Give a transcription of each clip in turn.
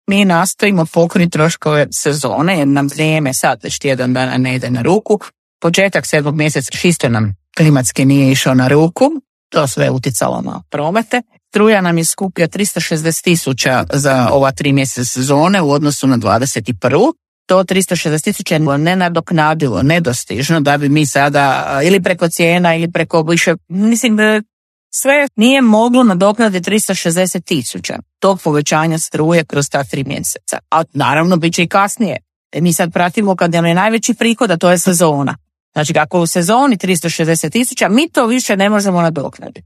mi nastojimo pokriti troškove sezone, jer nam vrijeme sad već tjedan dana ne ide na ruku. Početak 7. mjeseca čisto nam klimatski nije išao na ruku, to sve je utjecalo na promete. Struja nam je skupio 360.000 za ova 3 mjeseca sezone u odnosu na 21. To 360.000 je nenadoknadivo, nedostižno da bi mi sada ili preko cijena ili preko više, mislim sve nije moglo nadoknaditi 360.000 tog povećanja struje kroz ta 3 mjeseca. A naravno bit će i kasnije. Mi sad pratimo kad je najveći prihod, a to je sezona. Znači kako u sezoni 360.000, mi to više ne možemo nadoknaditi.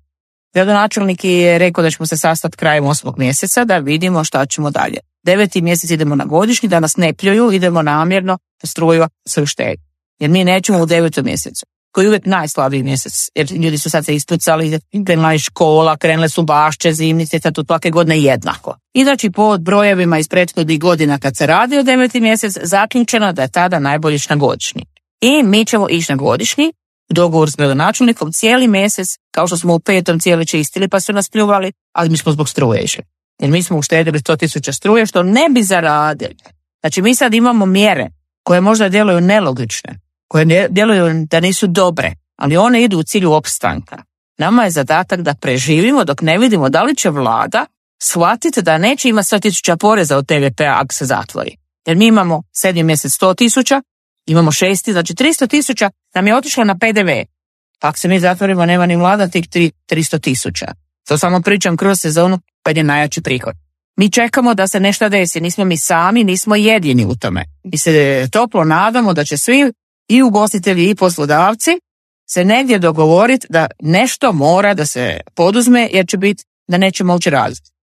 Gradonačelnik je rekao da ćemo se sastati krajem 8. mjeseca da vidimo šta ćemo dalje. 9. mjesec idemo na godišnji, da nas ne pljuju, idemo namjerno struju se uštediti. Jer mi nećemo u 9. mjesecu, koji je uvijek najslabiji mjesec, jer ljudi su sad se ispucali, krenula je škola, krenule su bašće, zimnice, sad tu svake godine jednako. I znači po brojevima iz prethodnih godina kad se radi o 9. mjesec, zaključeno da je tada najbolje ići na godišnji. I mi ćemo ići na godišnji, dogovor s gradonačelnikom cijeli mjesec, kao što smo u 5. cijeli čistili pa su nas pljuvali, ali mi smo zbog struje išli. Jer mi smo uštedili 100.000 struje što ne bi zaradili. Znači mi sad imamo mjere koje možda djeluju nelogične, koje djeluju da nisu dobre, ali one idu u cilju opstanka. Nama je zadatak da preživimo dok ne vidimo da li će vlada shvatiti da neće imati 100.000 poreza od TVP-a ako se zatvori. Jer mi imamo 7. mjesec 100.000, imamo 6. znači 300.000 nam je otišlo na PDV. Ako se mi zatvorimo, nema ni vlada tih 300.000. To samo pričam kroz sezonu kad je najjači prihod. Mi čekamo da se nešto desi, nismo mi sami, nismo jedini u tome. Mi se toplo nadamo da će svi i ugostitelji i poslodavci se negdje dogovoriti da nešto mora da se poduzme jer će biti da neće moći raditi.